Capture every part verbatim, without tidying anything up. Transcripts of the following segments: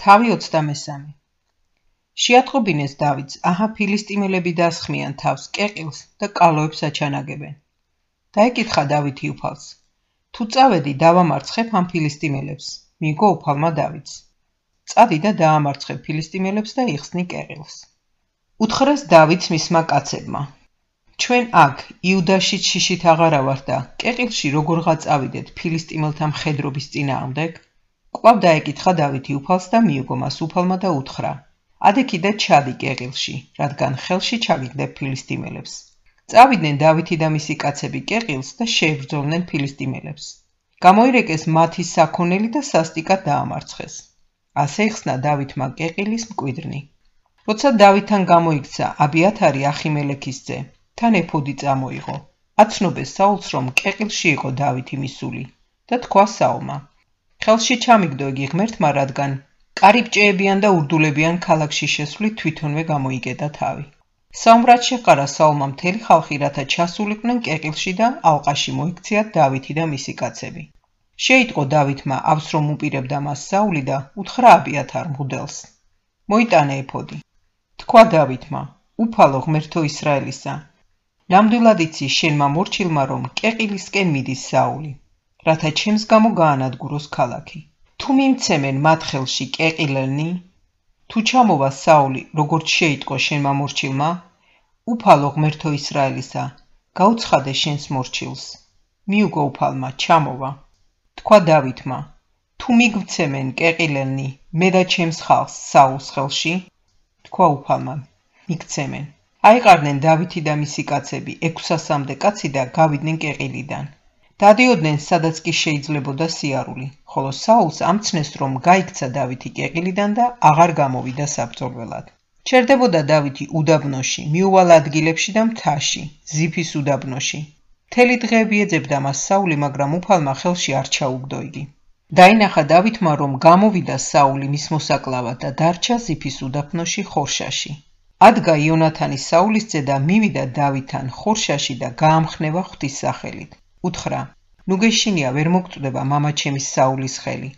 თავი ოცდამესამე. შეატყობინეს დავითს, აჰა ფილისტიმელები დასხმიან თავს კეყილს და კალოებს აჩანაგებენ. დაეკითხა დავითი უფალს, თუ წავედი დავამარცხებ ამ ფილისტიმელებს, მიიგო უფალმა დავითს. წადი და დაამარცხებ ფილისტიმელებს და იხსნი კეყილს. უთხრეს დავითს მისმა კაცებმა, ჩვენ აქ იუდაშიც შიშით აღარა ვართ და კეყილში როგორღა წავიდეთ ფილისტიმელთა მხედრობის წინააღმდეგ? კვლავ დაეკითხა დავითი უფალს და მიიგო მას უფალმა და უთხრა, ადექიდე ჩადი კეყილში, რადგან ხელში ჩაგიგდებ ფილისტიმელებს. წავიდნენ დავითი და მისი კაცები კეყილს და შეებრძოლნენ ფილისტიმელებს. გამოირეკეს მათი საქონელი და სასტიკად დაამარცხეს. ასე იხსნა დავითმა კეყილის მკვიდრნი. როცა დავითთან გამოიქცა აბიათარი ახიმელექის ძე, თან ეფოდი წამოიღო. აცნობეს საულს, რომ კეყილში იყო დავითი მისული და თქვა საულმა, ხელში ჩამიგდო იგი ღმერთმა, რადგან კარიბჭეებიან და ურდულებიან ქალაქში შესვლით თვითონვე გამოიკედა თავი. საომრად შეყარა საულმა მთელი ხალხი, რათა ჩასულიყვნენ კეყილში და ალყაში მოიქციათ დავითი და მისი კაცები. შეიტყო დავითმა ავს, რომ უპირებდა მას საული და უთხრა აბიათარ მღვდელს, მოიტანე ეფოდი. თქვა დავითმა, უფალო ღმერთო ისრაელისა, ნამდვილად იცი შენმა მორჩილმა, რომ კეყილისკენ მიდის საული, რათა ჩემს გამო გაანადგუროს ქალაქი. თუ მიმცემენ მათ ხელში კეყილელნი, თუ ჩამოვა საული, როგორც შეიტყო შენმა მორჩილმა, უფალო ღმერთო ისრაელისა, გაუცხადე შენს მორჩილს. მიუგო უფალმა, ჩამოვა. თქვა დავითმა, თუ მიგვცემენ კეყილელნი, მე და ჩემს ხალხს საულს ხელში, თქვა უფალმა, მიგცემენ. აიყარნენ დავითი და მისი კაცები ექვსასამდე კაცი და გავიდნენ კეყილიდან. დადიოდნენ, სადაც კი შეიძლებოდა სიარული, ხოლო საულს ამცნეს, რომ გაიქცა დავითი კეყილიდან და აღარ გამოვიდა საბრძოლველად. ჩერდებოდა დავითი უდაბნოში, მიუვალ ადგილებში და მთაში, ზიფის უდაბნოში. მთელი დღეები ეძებდა მას საული, მაგრამ უფალმა ხელში არ ჩაუგდო იგი. დაინახა დავითმა, რომ გამოვიდა საული მის მოსაკლავად და დარჩა ზიფის უდაბნოში ხორშაში. ადგა იონათანი საულის ძე და მივიდა დავითთან ხორშაში და გაამხნევა ღვთისსახელით. უთხრა, ნუ გეშინია, ვერ მოგწდება მამაჩემის საულის ხელი.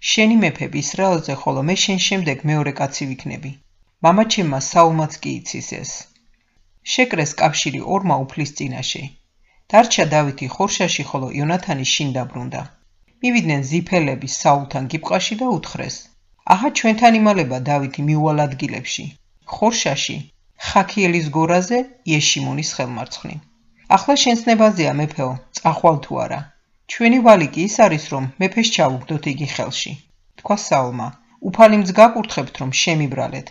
შენი მეფებ ისრაელზე, ხოლო მე შენ შემდეგ მეორე კაცი ვიქნები. მამაჩემმა საულმაც კი იცის ეს. შეკრეს კავშირი ორმა უფლის წინაშე. დარჩა დავითი ხორშაში, ხოლო იონათანი შინ დაბრუნდა. მივიდნენ ზიფელები საულთან გიბყაში და უთხრეს, აჰა ჩვენთან იმალება დავითი მიუვალ ადგილებში. ხორშაში, ხაქიელის გორაზე, იეშიმონის ხელმარცხნი. ახლა შენს ნებაზეა მეფეო, წახვალ თუ არა. ჩვენი ვალი კი ის არის, რომ მეფეს ჩავუგდოთ იგი ხელში. თქვა საულმა, უფალი მძ გაკურთხებთ, რომ შემიბრალეთ.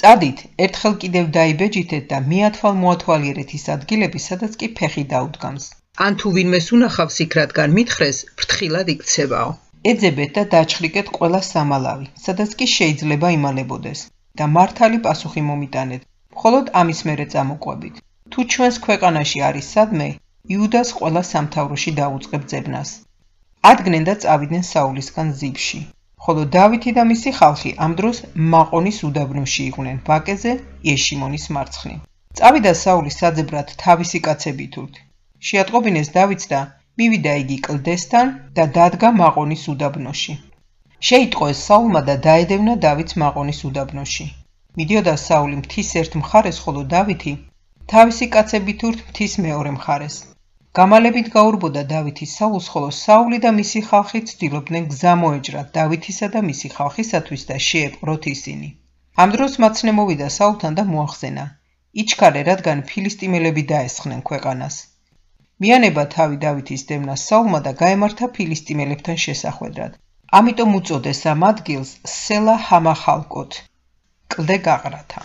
წადით, ერთხელ კიდევ დაიბეჯითეთ და მიათვალ მოათვალიერეთ ის ადგილები, სადაც კი ფეხი დაუდგამს. ან თუ ვინმეს უნახავს იქ, რადგან მითხრეს, ფრთხილად იქცევაო. ეძებეთ და დაჩხრიკეთ ყველა სამალავი, სადაც კი შეიძლება იმალებოდეს და მართალი პასუხი მომიტანეთ, მხოლოდ ამის მერე წამოყვებით. თუ ჩვენს ქვეყანაში არის სადმე, იუდას ყველა სამთავროში დაუწყებ ძებნას. ადგნენ და წავიდნენ საულისგან ზიფში, ხოლო დავითი და მისი ხალხი ამ დროს მაყონის უდაბნოში იყვნენ ვაკეზე, იეშიმონის მარცხნივ. წავიდა საული საძებრად თავისი კაცებითურთ. შეატყობინეს დავითს და მივიდა იგი კლდესთან და დადგა მაყონის უდაბნოში. შეიტყო ეს საულმა და დაედევნა დავითს მაყონის უდაბნოში. მიდიოდა საული მთის ერთ მხარეს, ხოლო დავითი თავისი კაცებითურთ მთის მეორე მხარეს. გამალებით გაურბოდა დავითი საულს, ხოლო საული და მისი ხალხი ცდილობდნენ გზა მოეჯრათ დავითისა და მისი ხალხისათვის და შეეპყროთ ისინი. ამ დროს მაცნე მოვიდა საულთან და მოახსენა, იჩქარე, რადგან ფილისტიმელები დაესხნენ ქვეყანას. მიანება თავი დავითის დევნას საულმა და გაემართა ფილისტიმელებთან შესახვედრად. ამიტომ უწოდეს ამ ადგილს სელა ჰამახალკოთ, კლდე გაყრათა.